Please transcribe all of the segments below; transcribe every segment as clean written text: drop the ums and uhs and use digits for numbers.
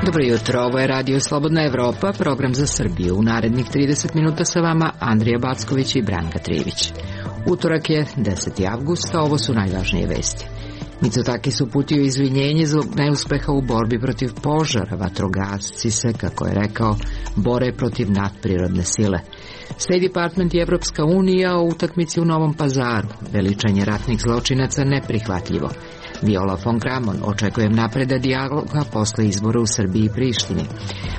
Dobro jutro, ovo je Radio Slobodna Evropa, program za Srbiju. U narednih 30 minuta sa vama Andrija Backović i Branka Trivić. Utorak je 10. avgust, a ovo su najvažnije vesti. Mitsotakis uputio izvinjenje zbog neuspeha u borbi protiv požara. Vatrogasci se, kako je rekao, bore protiv nadprirodne sile. State Department i Evropska unija o utakmici u Novom Pazaru. Veličanje ratnih zločinaca neprihvatljivo. Viola von Kramon, očekujem napredak dijaloga posle izbora u Srbiji i Prištini.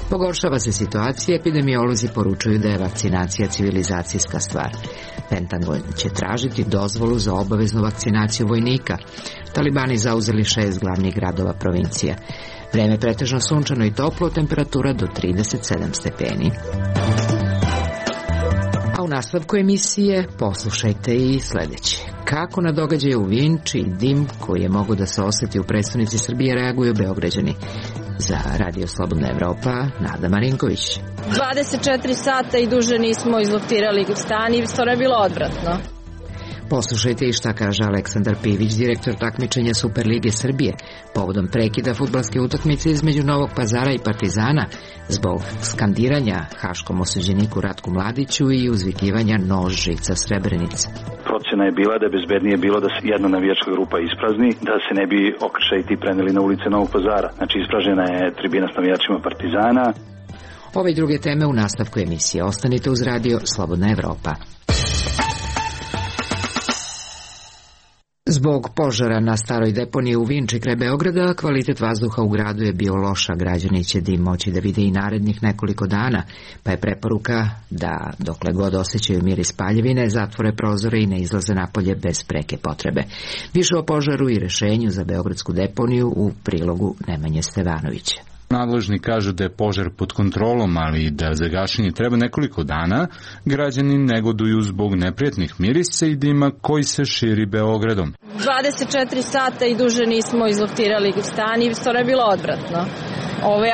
Pogoršava se situacija, epidemiolozi poručuju da je vakcinacija civilizacijska stvar. Pentagon će tražiti dozvolu za obaveznu vakcinaciju vojnika. Talibani zauzeli 6 glavnih gradova provincija. Vreme pretežno sunčano i toplo, temperatura do 37 stepeni. A u nastavku emisije poslušajte i sledeće. Kako na događaje u Vinči i dim koji je mogu da se osjeti u prestonici Srbije reaguju Beograđani? Za Radio Slobodna Evropa, Nada Marinković. 24 sata i duže nismo izloftirali stan i stvarno je bilo odvratno. Poslušajte i šta kaže Aleksandar Pivić, direktor takmičenja Superlige Srbije, povodom prekida fudbalske utakmice između Novog Pazara i Partizana zbog skandiranja haškom osuđeniku Ratku Mladiću i uzvikivanja nož žica Srebrenice. Procena je bila da je bezbednije bilo da se jedna navijačka grupa isprazni, da se ne bi okršaji ti preneli na ulice Novog Pazara. Znači ispražnjena je tribina s navijačima Partizana. Ove i druge teme u nastavku emisije. Ostanite uz Radio Slobodna Evropa. Zbog požara na staroj deponiji u Vinči kraj Beograda, kvalitet vazduha u gradu je bio loš, a građani će dim moći da vide i narednih nekoliko dana, pa je preporuka da, dokle god osjećaju miris paljevine, zatvore prozore i ne izlaze napolje bez preke potrebe. Više o požaru i rešenju za beogradsku deponiju u prilogu Nemanje Stevanovića. Nadležni kažu da je požar pod kontrolom, ali da za gašenje treba nekoliko dana. Građani negoduju zbog neprijatnih mirisa i dima koji se širi Beogradom. 24 sata i duže nismo izloftirali stan i stvarno je bilo odvratno.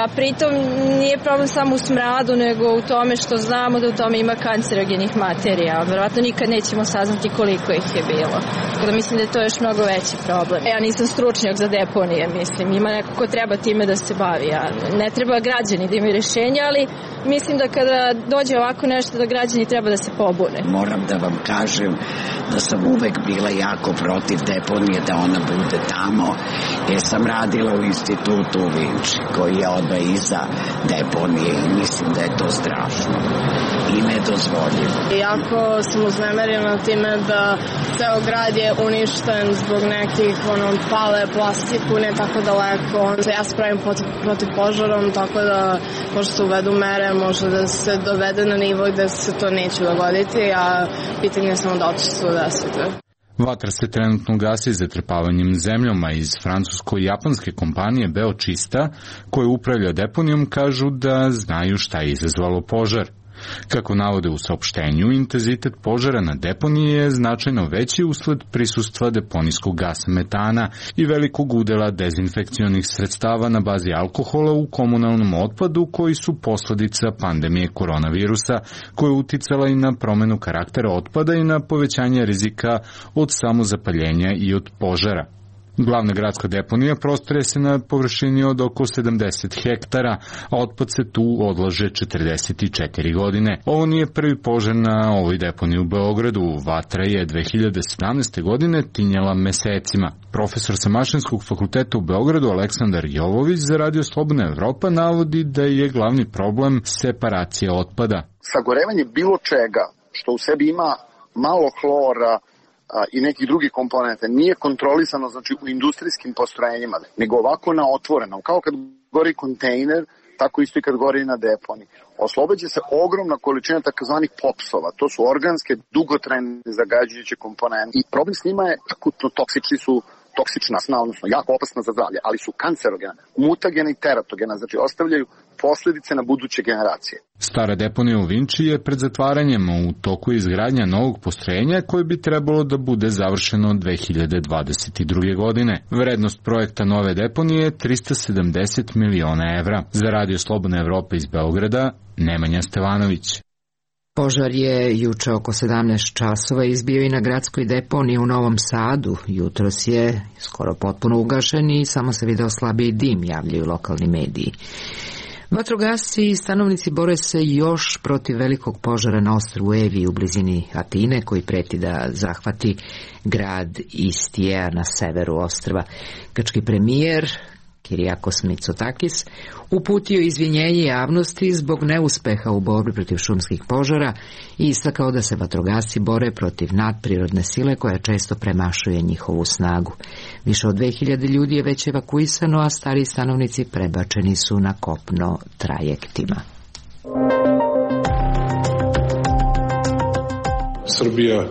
A pritom nije problem samo u smradu, nego u tome što znamo da u tome ima kancerogenih materija. Verovatno nikad nećemo saznati koliko ih je bilo. Tako da mislim da je to još mnogo veći problem. Ja nisam stručnjak za deponije, mislim. Ima neko ko treba time da se bavi. Ne treba građani da imaju rešenja, ali mislim da kada dođe ovako nešto da građani treba da se pobune. Moram da vam kažem da sam uvek bila jako protiv deponije, da ona bude tamo, jer sam radila u institutu u Vinči, koji je odmah iza deponije i mislim da je to strašno i nedozvoljivo. Jako sam uznemerena time da ceo grad je uništen zbog nekih pale plastiku, ne tako daleko. Ja se pravim protiv požarom, tako da možda se uvedu mere, može da se dovede na nivo gde se to neće dogoditi, a pitanje je samo da će se to desiti. Vatra se trenutno gasi zatrpavanjem zemljom, a iz francusko-japanske kompanije Beočista, koje upravlja deponijom, kažu da znaju šta je izazvalo požar. Kako navode u saopštenju, intenzitet požara na deponiji je značajno veći usled prisustva deponijskog gasa metana i velikog udela dezinfekcionih sredstava na bazi alkohola u komunalnom otpadu koji su posledica pandemije koronavirusa, koja je uticala i na promenu karaktera otpada i na povećanje rizika od samozapaljenja i od požara. Glavna gradska deponija prostire se na površini od oko 70 hektara, a otpad se tu odlaže 44 godine. Ovo nije prvi požar na ovoj deponiji u Beogradu. Vatra je 2017. godine tinjala mesecima. Profesor sa Mašinskog fakulteta u Beogradu Aleksandar Jovović za Radio Slobodna Evropa navodi da je glavni problem separacija otpada. Sagorevanje bilo čega što u sebi ima malo hlora i nekih drugih komponenta nije kontrolisano, znači u industrijskim postrojenjima, nego ovako na otvorenom, kao kad gori kontejner, tako isto i kad gori na deponi. Oslobađa se ogromna količina takozvanih popsova, to su organske, dugotrajne zagađujuće komponente i problem s njima je akutno toksični su toksična sna, odnosno jako opasna za zdravlje, ali su kancerogena, mutagena i teratogena, znači ostavljaju posledice na buduće generacije. Stara deponija u Vinči je pred zatvaranjem, u toku izgradnja novog postrojenja koje bi trebalo da bude završeno 2022. godine. Vrednost projekta nove deponije je 370 miliona evra. Za Radio Slobodna Evropa iz Beograda, Nemanja Stevanović. Požar je juče oko 17 časova izbio i na gradskoj deponiji u Novom Sadu. Jutros je skoro potpuno ugašen i samo se video slabiji dim, javljaju lokalni mediji. Vatrogasci i stanovnici bore se još protiv velikog požara na ostrvu Evi u blizini Atine, koji preti da zahvati grad Istija na severu ostrva. Grčki premijer Kyriakos Mitsotakis uputio izvinjenje javnosti zbog neuspeha u borbi protiv šumskih požara i istakao da se vatrogasci bore protiv nadprirodne sile koja često premašuje njihovu snagu. Više od 2000 ljudi je već evakuisano, a stariji stanovnici prebačeni su na kopno trajektima. Srbija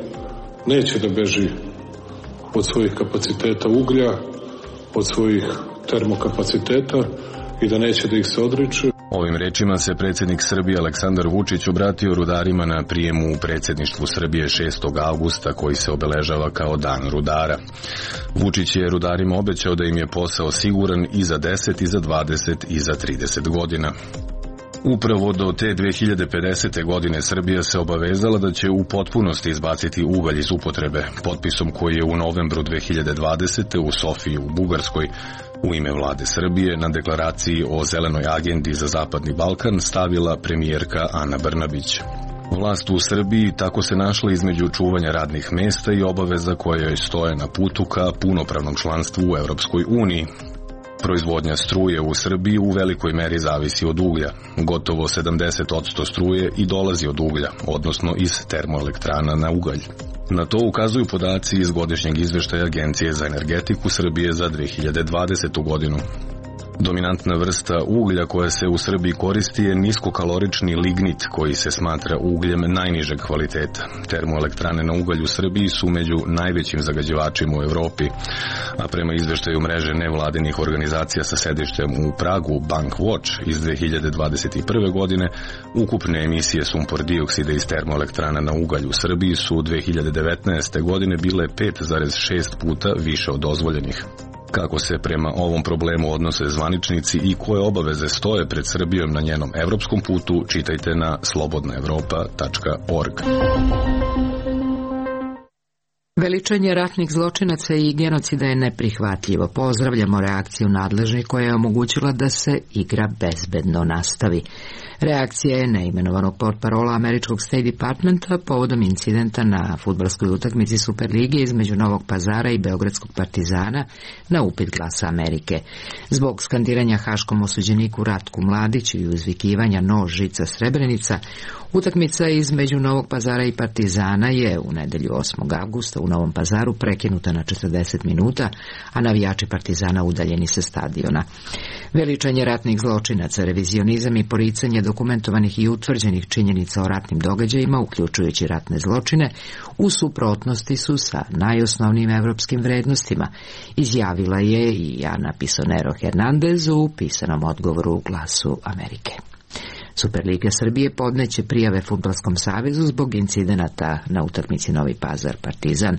neće da beži od svojih kapaciteta uglja, od svojih termokapaciteta i da neće da ih se odriče. Ovim rečima se predsjednik Srbije Aleksandar Vučić obratio rudarima na prijemu u predsjedništvu Srbije 6. avgusta koji se obeležava kao Dan rudara. Vučić je rudarima obećao da im je posao siguran i za 10, i za 20, i za 30 godina. Upravo do te 2050. godine Srbija se obavezala da će u potpunosti izbaciti ugalj iz upotrebe, potpisom koji je u novembru 2020. u Sofiji u Bugarskoj u ime vlade Srbije na deklaraciji o zelenoj agendi za Zapadni Balkan stavila premijerka Ana Brnabić. Vlast u Srbiji tako se našla između čuvanja radnih mesta i obaveza koje joj stoje na putu ka punopravnom članstvu u Europskoj uniji. Proizvodnja struje u Srbiji u velikoj meri zavisi od uglja. Gotovo 70% struje i dolazi od uglja, odnosno iz termoelektrana na ugalj. Na to ukazuju podaci iz godišnjeg izveštaja Agencije za energetiku Srbije za 2020. godinu. Dominantna vrsta uglja koja se u Srbiji koristi je niskokalorični lignit koji se smatra ugljem najnižeg kvaliteta. Termoelektrane na ugalj u Srbiji su među najvećim zagađivačima u Evropi, a prema izveštaju mreže nevladinih organizacija sa sedištem u Pragu Bankwatch iz 2021. godine, ukupne emisije sumpor dioksida iz termoelektrana na ugalj u Srbiji su 2019. godine bile 5,6 puta više od dozvoljenih. Kako se prema ovom problemu odnose zvaničnici i koje obaveze stoje pred Srbijom na njenom evropskom putu, čitajte na slobodnaevropa.org. Veličanje ratnih zločinaca i genocida je neprihvatljivo. Pozdravljamo reakciju nadležnih koja je omogućila da se igra bezbedno nastavi. Reakcija je neimenovanog portparola američkog State Departmenta povodom incidenta na fudbalskoj utakmici Superlige između Novog Pazara i Beogradskog Partizana na upit Glasa Amerike. Zbog skandiranja haškom osuđeniku Ratku Mladiću i uzvikivanja nož, žica, Srebrenica, utakmica između Novog Pazara i Partizana je u nedelju 8. avgusta u Novom Pazaru prekinuta na 40 minuta, a navijači Partizana udaljeni sa stadiona. Veličanje ratnih zločinaca, revizionizam i poricanje dokumentovanih i utvrđenih činjenica o ratnim događajima, uključujući ratne zločine, u suprotnosti su sa najosnovnijim evropskim vrednostima, izjavila je i Ana Pisonero Hernandez u pisanom odgovoru u Glasu Amerike. Superliga Srbije podneće prijave Fudbalskom savezu zbog incidenata na utakmici Novi Pazar Partizan.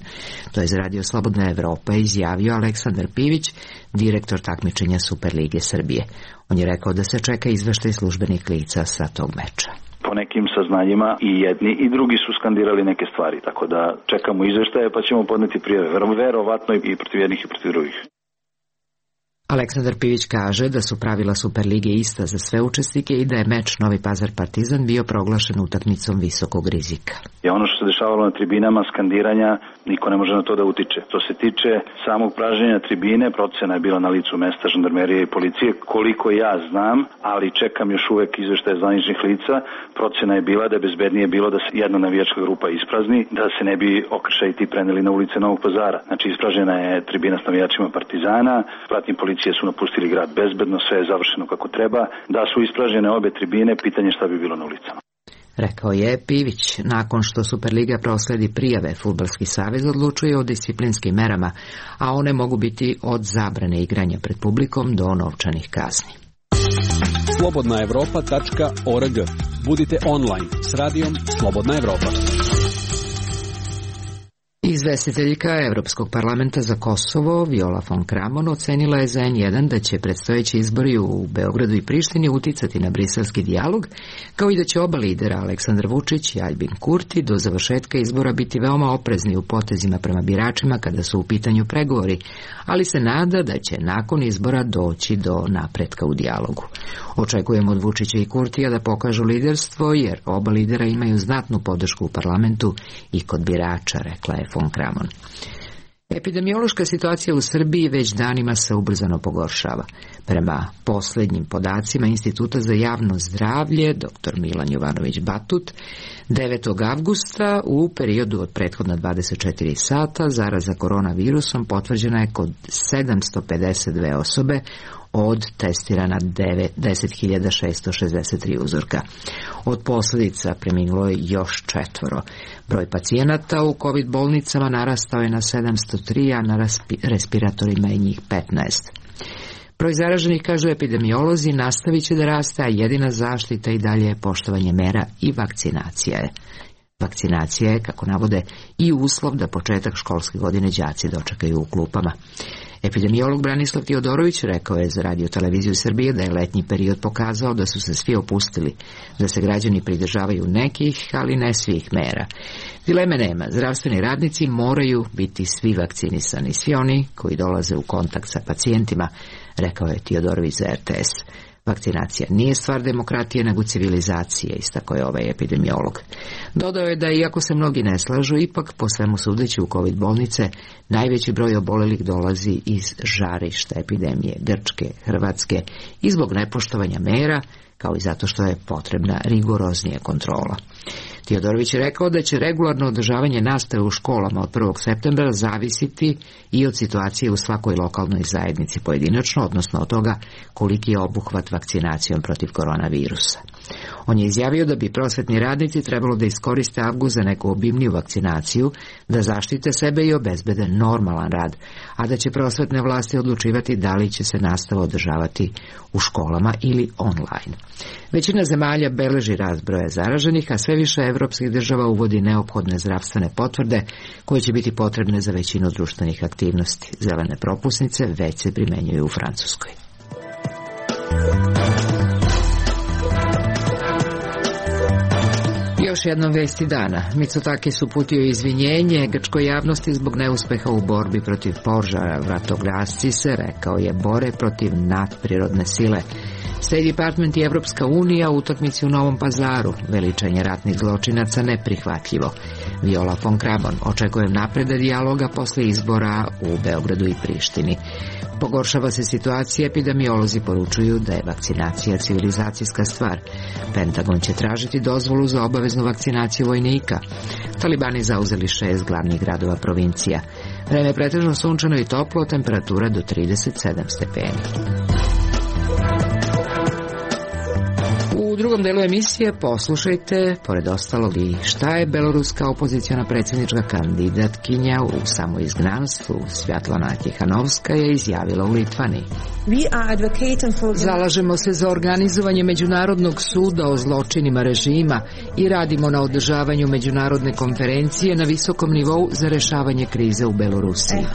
To je za Radio Slobodna Evropa izjavio Aleksandar Pivić, direktor takmičenja Superlige Srbije. On je rekao da se čeka izveštaj službenih lica sa tog meča. Po nekim saznanjima i jedni i drugi su skandirali neke stvari, tako da čekamo izveštaje pa ćemo podneti prijave. Verovatno i protiv jednih i protiv drugih. Aleksandar Pivić kaže da su pravila Superlige ista za sve učesnike i da je meč Novi Pazar Partizan bio proglašen utakmicom visokog rizika. Ono što se dešavalo na tribinama, skandiranja, niko ne može na to da utiče. To se tiče samog pražnjenja tribine, procena je bila na licu mesta žandarmerije i policije, koliko ja znam, ali čekam još uvek izveštaje zvaničnih lica. Procena je bila da je bezbednije bilo da se jedna navijačka grupa isprazni, da se ne bi okršaji ti preneli na ulice Novog Pazara. Znači ispražnjena je tribina s navijačima Partizana, pratnji policije su napustili grad bezbedno, sve je završeno kako treba. Da su ispražnjene obe tribine, pitanje šta bi bilo na ulicama. rekao je Pivić. Nakon što Superliga prosledi prijave, Fudbalski savez odlučuje o disciplinskim merama, a one mogu biti od zabrane igranja pred publikom do novčanih kazni. slobodnaevropa.org. Budite online s radijom Slobodna Evropa. Izvestiteljka Evropskog parlamenta za Kosovo, Viola von Kramon, ocenila je za N1 da će predstojeći izbori u Beogradu i Prištini uticati na briselski dijalog, kao i da će oba lidera, Aleksandar Vučić i Aljbin Kurti, do završetka izbora biti veoma oprezni u potezima prema biračima kada su u pitanju pregovori, ali se nada da će nakon izbora doći do napretka u dijalogu. Očekujemo od Vučića i Kurtija da pokažu liderstvo, jer oba lidera imaju znatnu podršku u parlamentu i kod birača, rekla je von Kramon. Epidemiološka situacija u Srbiji već danima se ubrzano pogoršava. Prema posljednjim podacima Instituta za javno zdravlje, dr. Milan Jovanović Batut, 9. avgusta u periodu od prethodna 24 sata zaraza koronavirusom potvrđena je kod 752 osobe od testirana 10.663 uzorka. Od posljedica preminulo je još 4. Broj pacijenata u COVID bolnicama narastao je na 703, a na respiratorima je njih 15. Broj zaraženih, kažu epidemiolozi, nastavit će da raste, a jedina zaštita i dalje je poštovanje mera i vakcinacija je. Vakcinacija je, kako navode, i uslov da početak školske godine đaci dočekaju u klupama. Epidemiolog Branislav Tiodorović rekao je za Radio Televiziju Srbije da je letnji period pokazao da su se svi opustili, da se građani pridržavaju nekih, ali ne svih mera. Dileme nema, zdravstveni radnici moraju biti svi vakcinisani, svi oni koji dolaze u kontakt sa pacijentima, rekao je Tiodorović za RTS. Vakcinacija nije stvar demokratije, nego civilizacije, istakao je ovaj epidemiolog. Dodao je da, iako se mnogi ne slažu, ipak po svemu sudeći u COVID bolnice najveći broj obolelih dolazi iz žarišta epidemije Grčke, Hrvatske i zbog nepoštovanja mera, kao i zato što je potrebna rigoroznija kontrola. Tiodorović je rekao da će regularno održavanje nastave u školama od 1. septembra zavisiti i od situacije u svakoj lokalnoj zajednici pojedinačno, odnosno od toga koliki je obuhvat vakcinacijom protiv koronavirusa. On je izjavio da bi prosvetni radnici trebalo da iskoriste avgust za neku obimniju vakcinaciju, da zaštite sebe i obezbede normalan rad, a da će prosvetne vlasti odlučivati da li će se nastava održavati u školama ili online. Većina zemalja beleži rast broja zaraženih, a sve više evropskih država uvodi neophodne zdravstvene potvrde koje će biti potrebne za većinu društvenih aktivnosti. Zelene propusnice već se primenjuju u Francuskoj. Još jednom vesti dana. Mitsotakis uputio izvinjenje grčkoj javnosti zbog neuspeha u borbi protiv požara. Vratogasci se, rekao je, bore protiv nadprirodne sile. State Department i Evropska unija u utakmici u Novom Pazaru. Veličanje ratnih zločinaca neprihvatljivo. Viola von Kramon: očekujem napredak dijaloga posle izbora u Beogradu i Prištini. Pogoršava se situacija, epidemiolozi poručuju da je vakcinacija civilizacijska stvar. Pentagon će tražiti dozvolu za obaveznu vakcinaciju vojnika. Talibani zauzeli 6 glavnih gradova provincija. Vreme je pretežno sunčano i toplo, temperatura do 37 stepeni. U drugom delu emisije poslušajte, pored ostalog, i šta je beloruska opoziciona predsjednička kandidatkinja u samoizgnanstvu Svjatlana Tihanovska je izjavila u Litvani. Zalažemo se za organizovanje Međunarodnog suda o zločinima režima i radimo na održavanju međunarodne konferencije na visokom nivou za rešavanje krize u Belorusiji.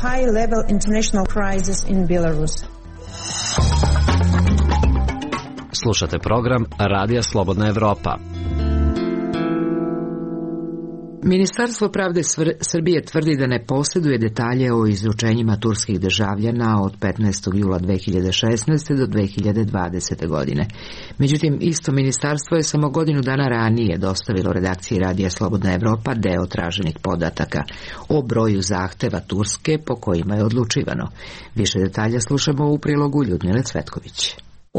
Slušate program Radija Slobodna Evropa. Ministarstvo pravde Srbije tvrdi da ne posjeduje detalje o izručenjima turskih državljana od 15. jula 2016. do 2020. godine. Međutim, isto ministarstvo je samo godinu dana ranije dostavilo redakciji Radija Slobodna Evropa deo traženih podataka o broju zahteva Turske po kojima je odlučivano. Više detalja slušamo u prilogu Ljudmile Cvetković.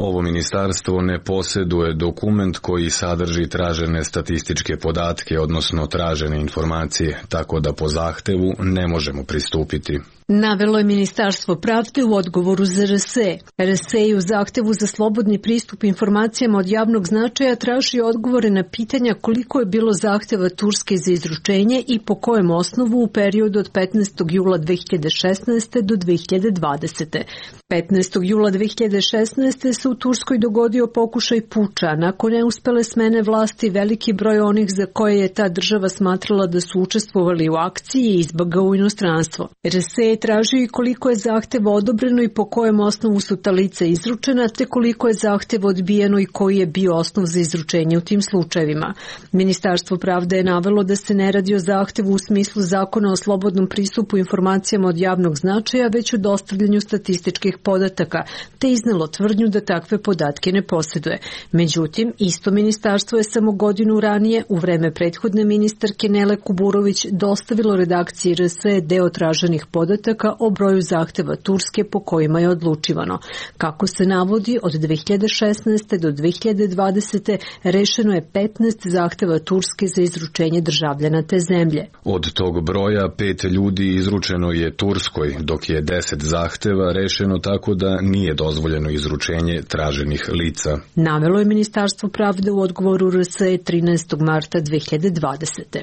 Ovo ministarstvo ne posjeduje dokument koji sadrži tražene statističke podatke, odnosno tražene informacije, tako da po zahtevu ne možemo pristupiti. Navelo je Ministarstvo pravde u odgovoru za RSE. RSE je u zahtevu za slobodni pristup informacijama od javnog značaja traži odgovore na pitanja koliko je bilo zahteva Turske za izručenje i po kojem osnovu u periodu od 15. jula 2016. do 2020. 15. jula 2016. se u Turskoj dogodio pokušaj puča. Nakon neuspele smene vlasti, veliki broj onih za koje je ta država smatrala da su učestvovali u akciji je izbegao u inostranstvo. RSE je tražio i koliko je zahteva odobreno i po kojem osnovu su ta lica izručena, te koliko je zahteva odbijeno i koji je bio osnov za izručenje u tim slučajevima. Ministarstvo pravde je navelo da se ne radi o zahtevu u smislu zakona o slobodnom pristupu informacijama od javnog značaja, već o dostavljanju statističkih podataka, te iznelo tvrdnju da takve podatke ne posjeduje. Međutim, isto ministarstvo je samo godinu ranije, u vreme prethodne ministarke Nele Kuburović, dostavilo redakciji RSE deo traženih podataka o broju zahteva Turske po kojima je odlučivano. Kako se navodi, od 2016. do 2020. rešeno je 15 zahteva Turske za izručenje državljana te zemlje. Od tog broja 5 ljudi izručeno je Turskoj, dok je 10 zahteva rešeno tako da nije dozvoljeno izručenje traženih lica. Navelo je Ministarstvo pravde u odgovoru RSE 13. marta 2020.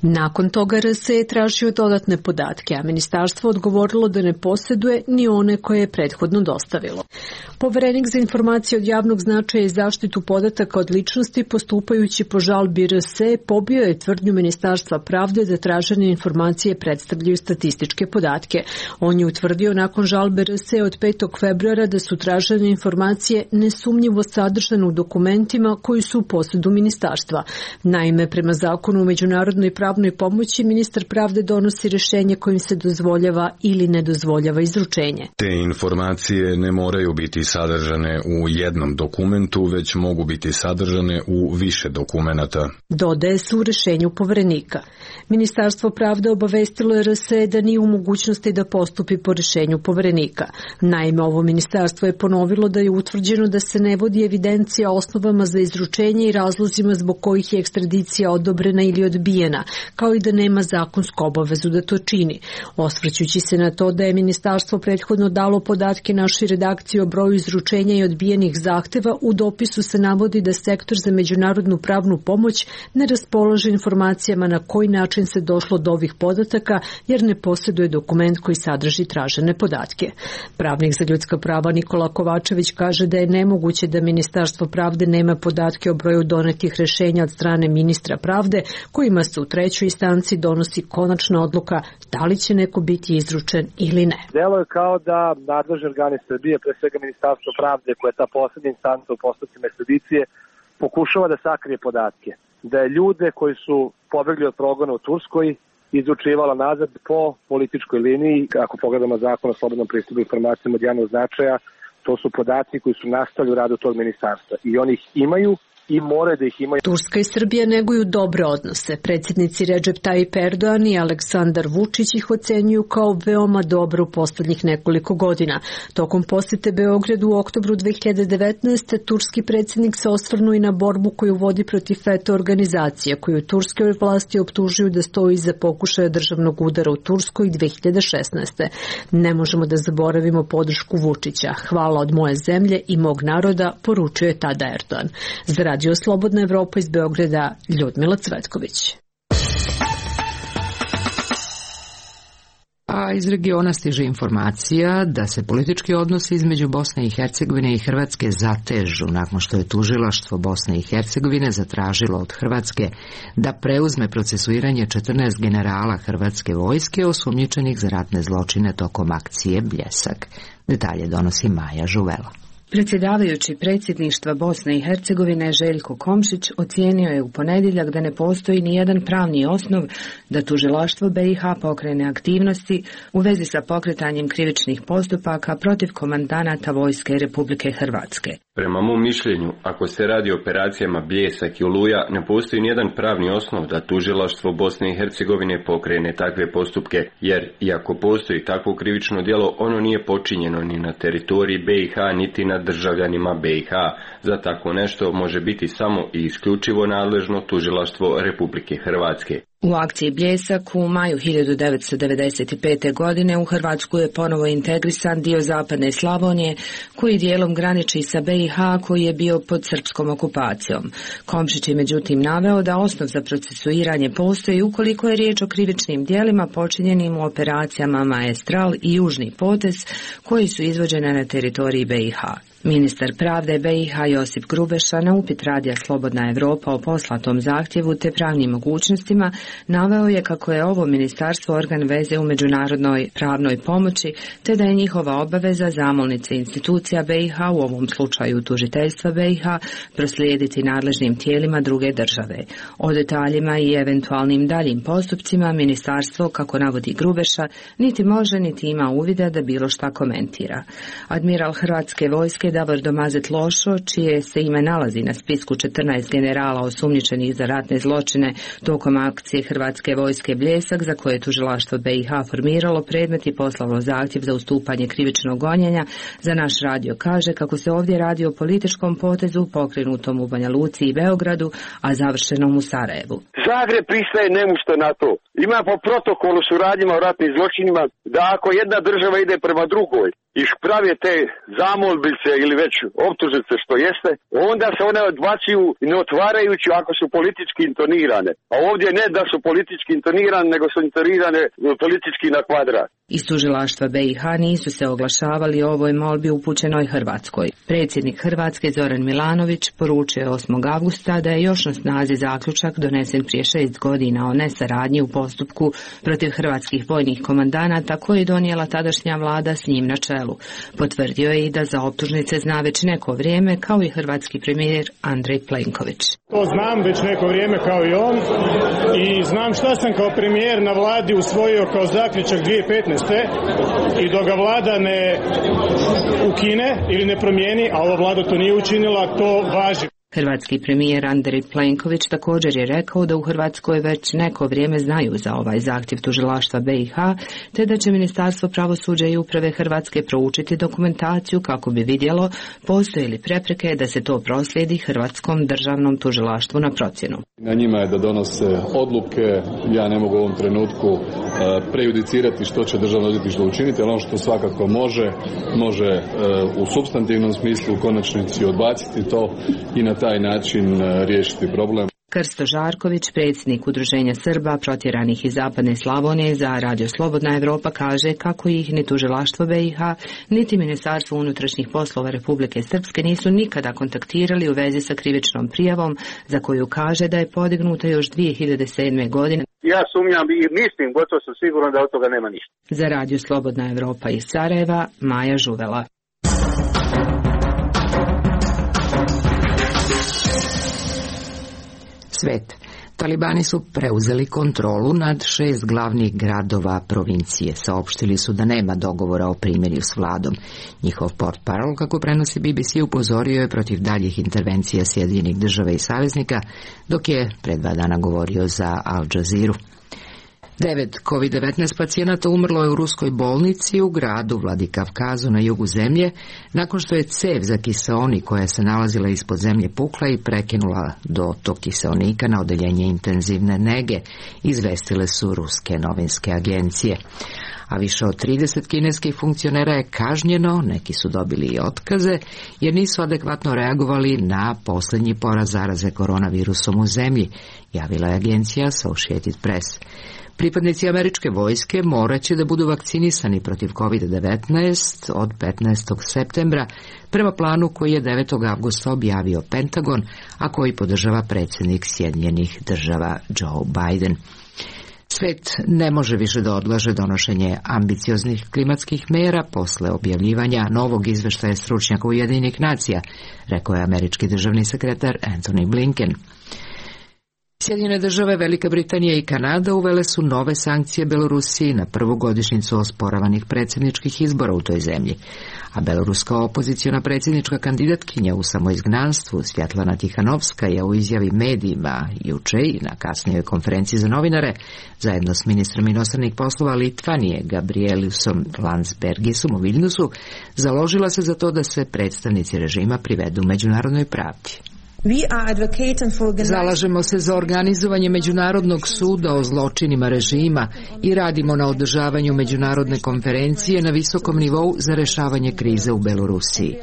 Nakon toga RSE je tražio dodatne podatke, a ministarstvo odgovorilo da ne posjeduje ni one koje je prethodno dostavilo. Poverenik za informacije od javnog značaja i zaštitu podataka od ličnosti, postupajući po žalbi RSE, pobio je tvrdnju Ministarstva pravde da tražene informacije predstavljaju statističke podatke. On je utvrdio nakon žalbe RSE od 5. februara da su tražene informacije nesumnjivo sadržane u dokumentima koji su u posjedu ministarstva. Naime, prema zakonu o međunarodnoj pravnoj pomoći, ministar pravde donosi rješenje kojim se dozvoljava ili ne dozvoljava izručenje. Te informacije ne moraju biti sadržane u jednom dokumentu, već mogu biti sadržane u više dokumenata. Dodaje se u rješenju poverenika. Ministarstvo pravde obavestilo je RSE da nije u mogućnosti da postupi po rješenju poverenika. Naime, ovo ministarstvo je ponovilo da je utvrđeno da se ne vodi evidencija o osnovama za izručenje i razlozima zbog kojih je ekstradicija odobrena ili odbijena, kao i da nema zakonsku obavezu da to čini. Osvrćući se na to da je ministarstvo prethodno dalo podatke našoj redakciji o broju izručenja i odbijenih zahteva, u dopisu se navodi da Sektor za međunarodnu pravnu pomoć ne raspolaže informacijama na koji način se došlo do ovih podataka, jer ne posjeduje dokument koji sadrži tražene podatke. Pravnik za ljudska prava Nikola Kovačević kaže da je nemoguće da Ministarstvo pravde nema podatke o broju donetih rješenja od strane ministra pravde, kojima se u trećoj instanci donosi konačna odluka da li će neko biti izručen ili ne. Delo je kao da nadležni organi Srbije, pre svega Ministarstvo pravde, koja je ta poslednja instanca u postupcima ekstradicije, pokušava da sakrije podatke. Da je ljude koji su pobegli od progona u Turskoj izručivala nazad po političkoj liniji. Ako pogledamo zakon o slobodnom pristupu informacijama od javnog značaja, to su podaci koji su nastali u radu tog ministarstva i oni ih imaju i more da ih imaju. Turska i Srbija neguju dobre odnose. Predsjednici Recep Tayyip Erdogan i Aleksandar Vučić ih ocenjuju kao veoma dobro u posljednjih nekoliko godina. Tokom posjete Beogradu u oktobru 2019. turski predsjednik se osvrnuo i na borbu koju vodi protiv FETÖ organizacije, koju turske vlasti optužuju da stoji iza pokušaja državnog udara u Turskoj 2016. Ne možemo da zaboravimo podršku Vučića. Hvala od moje zemlje i mog naroda, poručio je tada Erdogan. Za Radio Slobodna Evropa iz Beograda, Ljudmila Cvetković. A iz regiona stiže informacija da se politički odnosi između Bosne i Hercegovine i Hrvatske zatežu nakon što je tužilaštvo Bosne i Hercegovine zatražilo od Hrvatske da preuzme procesuiranje 14 generala hrvatske vojske osumnjičenih za ratne zločine tokom akcije Bljesak. Detalje donosi Maja Žuvela. Predsjedavajući predsjedništva Bosne i Hercegovine Željko Komšić ocijenio je u ponedjeljak da ne postoji ni jedan pravni osnov da tužilaštvo BiH pokrene aktivnosti u vezi sa pokretanjem krivičnih postupaka protiv komandanata vojske Republike Hrvatske. Prema mom mišljenju, ako se radi o operacijama Bljesak i Oluja, ne postoji nijedan pravni osnov da tužilaštvo Bosne i Hercegovine pokrene takve postupke, jer iako postoji takvo krivično djelo, ono nije počinjeno ni na teritoriji BiH, niti nad državljanima BiH. Za tako nešto može biti samo i isključivo nadležno tužilaštvo Republike Hrvatske. U akciji Bljesak u maju 1995. godine u Hrvatsku je ponovo integrisan dio zapadne Slavonije koji dijelom graniči sa BiH koji je bio pod srpskom okupacijom. Komšić je međutim naveo da osnov za procesuiranje postoji ukoliko je riječ o krivičnim djelima počinjenim u operacijama Maestral i Južni potez koji su izvođene na teritoriji BiH. Ministar pravde BiH Josip Grubeša na upit radija Slobodna Evropa o poslatom zahtjevu te pravnim mogućnostima naveo je kako je ovo ministarstvo organ veze u međunarodnoj pravnoj pomoći te da je njihova obaveza zamolnice institucija BiH, u ovom slučaju tužiteljstva BiH, proslijediti nadležnim tijelima druge države. O detaljima i eventualnim daljim postupcima ministarstvo, kako navodi Grubeša, niti može niti ima uvida da bilo šta komentira. Admiral Hrvatske vojske Davor Domazet Lošo, čije se ime nalazi na spisku 14 generala osumnjičenih za ratne zločine tokom akcije Hrvatske vojske Bljesak, za koje je tužilaštvo BiH formiralo predmet i poslalo zahtjev za ustupanje krivičnog gonjenja, za naš radio kaže kako se ovdje radi o političkom potezu pokrenutom u Banja Luci i Beogradu, a završenom u Sarajevu. Zagreb pristaje nemušto na to. Ima po protokolu suradnjima o ratnim zločinima da ako jedna država ide prema drugoj i prave te zamolbice ili već optužnice što jeste, onda se one odbacuju ne otvarajući ako su politički intonirane. A ovdje ne da su politički intonirane, nego su intonirane politički na kvadrat. Iz tužilaštva BiH nisu se oglašavali o ovoj molbi upućenoj Hrvatskoj. Predsjednik Hrvatske Zoran Milanović poručio je 8. avgusta da je još na snazi zaključak donesen prije 6 godina o nesaradnji u postupku protiv hrvatskih vojnih komandanata koji je donijela tadašnja vlada s njim na čelu. Potvrdio je i da za optužnice zna već neko vrijeme, kao i hrvatski premijer Andrej Plenković. To znam već neko vrijeme kao i on i znam šta sam kao premijer na vladi usvojio kao zaključak 2015. I dok ga vlada ne ukine ili ne promijeni, a ova vlada to nije učinila, to važi. Hrvatski premijer Andrej Plenković također je rekao da u Hrvatskoj već neko vrijeme znaju za ovaj zahtjev tužilaštva BiH, te da će Ministarstvo pravosuđa i uprave Hrvatske proučiti dokumentaciju kako bi vidjelo postoje li prepreke da se to proslijedi Hrvatskom državnom tužilaštvu na procjenu. Na njima je da donose odluke, ja ne mogu u ovom trenutku prejudicirati što će državno odvjetništvo učiniti, ali ono što svakako može u supstantivnom smislu u konačnici odbaciti to i na taj način riješiti problem. Krsto Žarković, predsjednik Udruženja Srba protjeranih iz zapadne Slavonije za Radio Slobodna Evropa, kaže kako ih ni tužilaštvo BiH, niti Ministarstvo unutrašnjih poslova Republike Srpske nisu nikada kontaktirali u vezi sa krivičnom prijavom, za koju kaže da je podignuta još 2007. godine. Ja sumnjam i mislim, gotovo sam siguran da od toga nema ništa. Za Radio Slobodna Evropa iz Sarajeva, Maja Žuvela. Svet. Talibani su preuzeli kontrolu nad 6 glavnih gradova provincije. Saopštili su da nema dogovora o primirju s vladom. Njihov portparol, kako prenosi BBC, upozorio je protiv daljih intervencija Sjedinjenih država i saveznika, dok je pre 2 dana govorio za Al Jazeeru. 9 COVID-19 pacijenata umrlo je u ruskoj bolnici u gradu Vladikavkazu na jugu zemlje, nakon što je cev za kiseonik koja se nalazila ispod zemlje pukla i prekinula dotok kiseonika na odeljenje intenzivne nege, izvestile su ruske novinske agencije. A više od 30 kineskih funkcionera je kažnjeno, neki su dobili i otkaze, jer nisu adekvatno reagovali na posljednji porast zaraze koronavirusom u zemlji, javila je agencija Associated Press. Pripadnici američke vojske morat će da budu vakcinisani protiv COVID-19 od 15. septembra prema planu koji je 9. avgusta objavio Pentagon, a koji podržava predsjednik Sjedinjenih država Joe Biden. Svet ne može više da odlaže donošenje ambicioznih klimatskih mera posle objavljivanja novog izveštaja stručnjaka Ujedinjenih nacija, rekao je američki državni sekretar Antony Blinken. Sjedinjene države, Velika Britanija i Kanada uvele su nove sankcije Belorusiji na prvu godišnjicu osporavanih predsjedničkih izbora u toj zemlji. A beloruska opoziciona predsjednička kandidatkinja u samoizgnanstvu Svjetlana Tihanovska je u izjavi medijima juče i na kasnijoj konferenciji za novinare zajedno s ministrom inostranih poslova Litvanije Gabrielusom Landsbergisom u Viljnusu založila se za to da se predstavnici režima privedu međunarodnoj pravdi. Zalažemo se za organizovanje Međunarodnog suda o zločinima režima i radimo na održavanju međunarodne konferencije na visokom nivou za rešavanje krize u Belorusiji.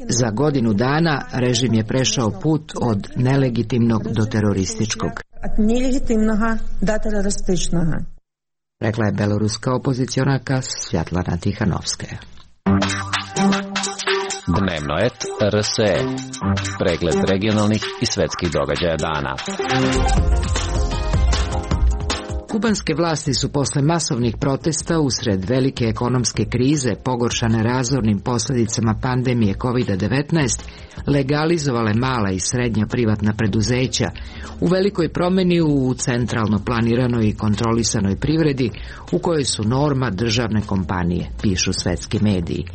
Za godinu dana režim je prešao put od nelegitimnog do terorističkog, rekla je beloruska opozicionarka Svjetlana Tihanovska. Dnevno et RSE. Pregled regionalnih i svetskih događaja dana. Kubanske vlasti su posle masovnih protesta usred velike ekonomske krize pogoršane razornim posljedicama pandemije COVID-19 legalizovale mala i srednja privatna preduzeća u velikoj promjeni u centralno planiranoj i kontrolisanoj privredi u kojoj su norma državne kompanije, pišu svetski mediji.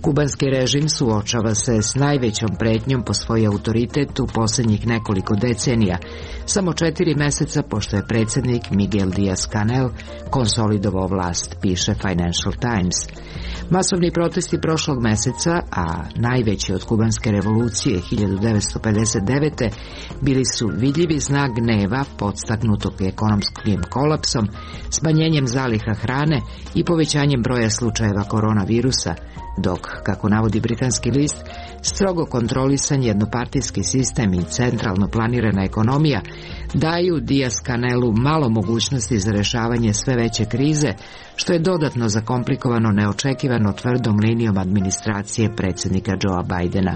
Kubanski režim suočava se s najvećom pretnjom po svoj autoritet u posljednjih nekoliko decenija, samo 4 meseca pošto je predsjednik Miguel Díaz-Canel konsolidovao vlast, piše Financial Times. Masovni protesti prošlog meseca, a najveći od kubanske revolucije 1959. bili su vidljivi znak gneva podstaknutog ekonomskim kolapsom, smanjenjem zaliha hrane i povećanjem broja slučajeva koronavirusa, dok, kako navodi britanski list, strogo kontrolisan jednopartijski sistem i centralno planirana ekonomija daju Díaz-Canelu malo mogućnosti za rešavanje sve veće krize, što je dodatno zakomplikovano neočekivano tvrdom linijom administracije predsjednika Joea Bidena.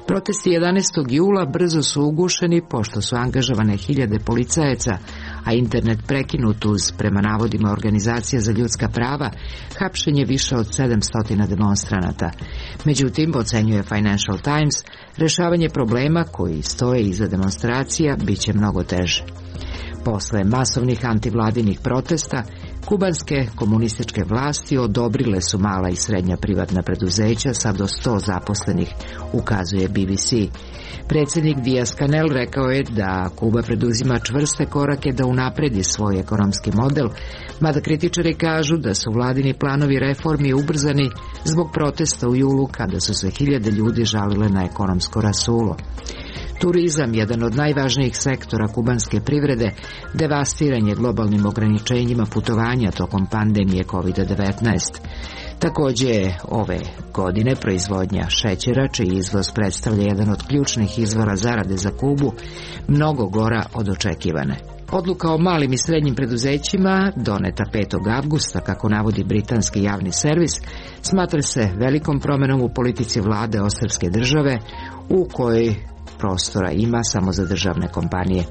Protesti 11. jula brzo su ugušeni pošto su angažovane hiljade policajaca, a internet prekinut uz, prema navodima Organizacije za ljudska prava, hapšenje više od 700 demonstranata. Međutim, ocenjuje Financial Times, rešavanje problema koji stoje iza demonstracija bit će mnogo teže. Posle masovnih antivladinih protesta, kubanske komunističke vlasti odobrile su mala i srednja privatna preduzeća sa do 100 zaposlenih, ukazuje BBC. Predsjednik Díaz-Canel rekao je da Kuba preduzima čvrste korake da unapredi svoj ekonomski model, mada kritičari kažu da su vladini planovi reformi ubrzani zbog protesta u julu kada su se hiljade ljudi žalile na ekonomsko rasulo. Turizam, jedan od najvažnijih sektora kubanske privrede, devastiran je globalnim ograničenjima putovanja tokom pandemije COVID-19. Također je ove godine proizvodnja šećera, čiji izvoz predstavlja jedan od ključnih izvora zarade za Kubu, mnogo gora od očekivane. Odluka o malim i srednjim preduzećima, doneta 5. avgusta, kako navodi britanski javni servis, smatra se velikom promjenom u politici vlade Ostrvske države, u kojoj prostora ima samo za državne kompanije.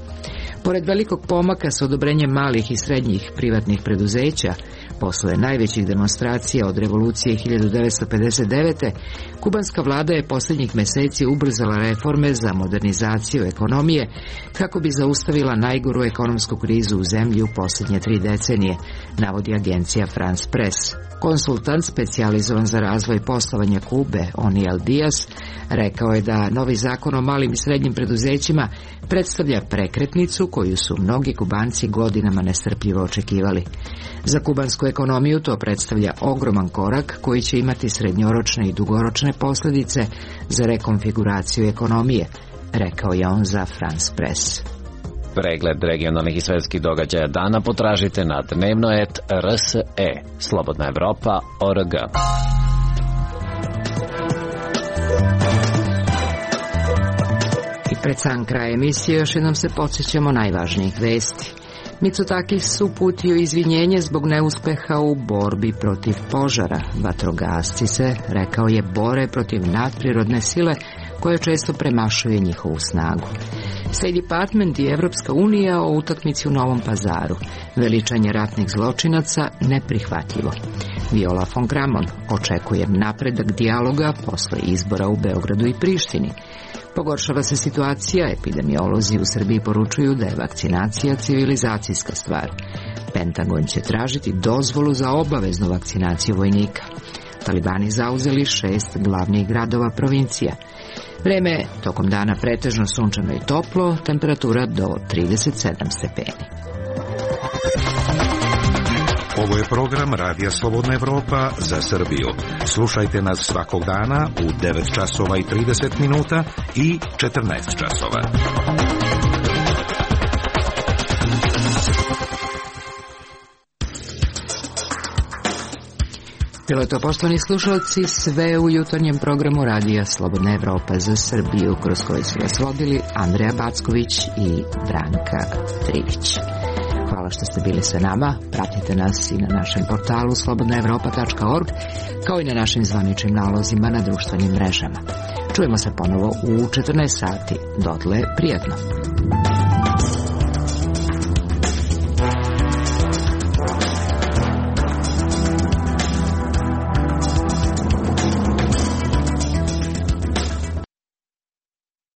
Pored velikog pomaka s odobrenjem malih i srednjih privatnih preduzeća, posle najvećih demonstracija od revolucije 1959. kubanska vlada je posljednjih mjeseci ubrzala reforme za modernizaciju ekonomije kako bi zaustavila najgoru ekonomsku krizu u zemlji u posljednje 3 decenije, navodi agencija France Press. Konsultant specijalizovan za razvoj poslovanja Kube, Oniel Diaz, rekao je da novi zakon o malim i srednjim preduzećima predstavlja prekretnicu koju su mnogi Kubanci godinama nestrpljivo očekivali. Za kubansku ekonomiju to predstavlja ogroman korak koji će imati srednjoročne i dugoročne posljedice za rekonfiguraciju ekonomije, rekao je on za France Press. Pregled regionalnih i svetskih događaja dana potražite na dnevno.rs.e. Slobodna Evropa.org. I pred sam kraj emisije još jednom se podsjećamo najvažnijih vesti. Mitsotakis uputio izvinjenje zbog neuspeha u borbi protiv požara. Vatrogasci se, rekao je, bore protiv nadprirodne sile koje često premašuje njihovu snagu. State Department i Evropska unija o utakmici u Novom Pazaru. Veličanje ratnih zločinaca neprihvatljivo. Viola von Kramon, očekujem napredak dijaloga posle izbora u Beogradu i Prištini. Pogoršava se situacija, epidemiolozi u Srbiji poručuju da je vakcinacija civilizacijska stvar. Pentagon će tražiti dozvolu za obaveznu vakcinaciju vojnika. Talibani zauzeli 6 glavnih gradova provincija. Vreme tokom dana pretežno sunčano i toplo, temperatura do 37 stepeni. Ovo je program Radija Slobodna Evropa za Srbiju. Slušajte nas svakog dana u 9 časova i 30 minuta i 14 časova. Bilo je to, poštovani slušalci, sve u jutarnjem programu Radija Slobodna Evropa za Srbiju, kroz koji su vas vodili Andreja Backović i Branka Trivić. Hvala što ste bili sa nama. Pratite nas i na našem portalu slobodnaevropa.org, kao i na našim zvaničnim nalozima na društvenim mrežama. Čujemo se ponovo u 14 sati. Dotle, prijatno.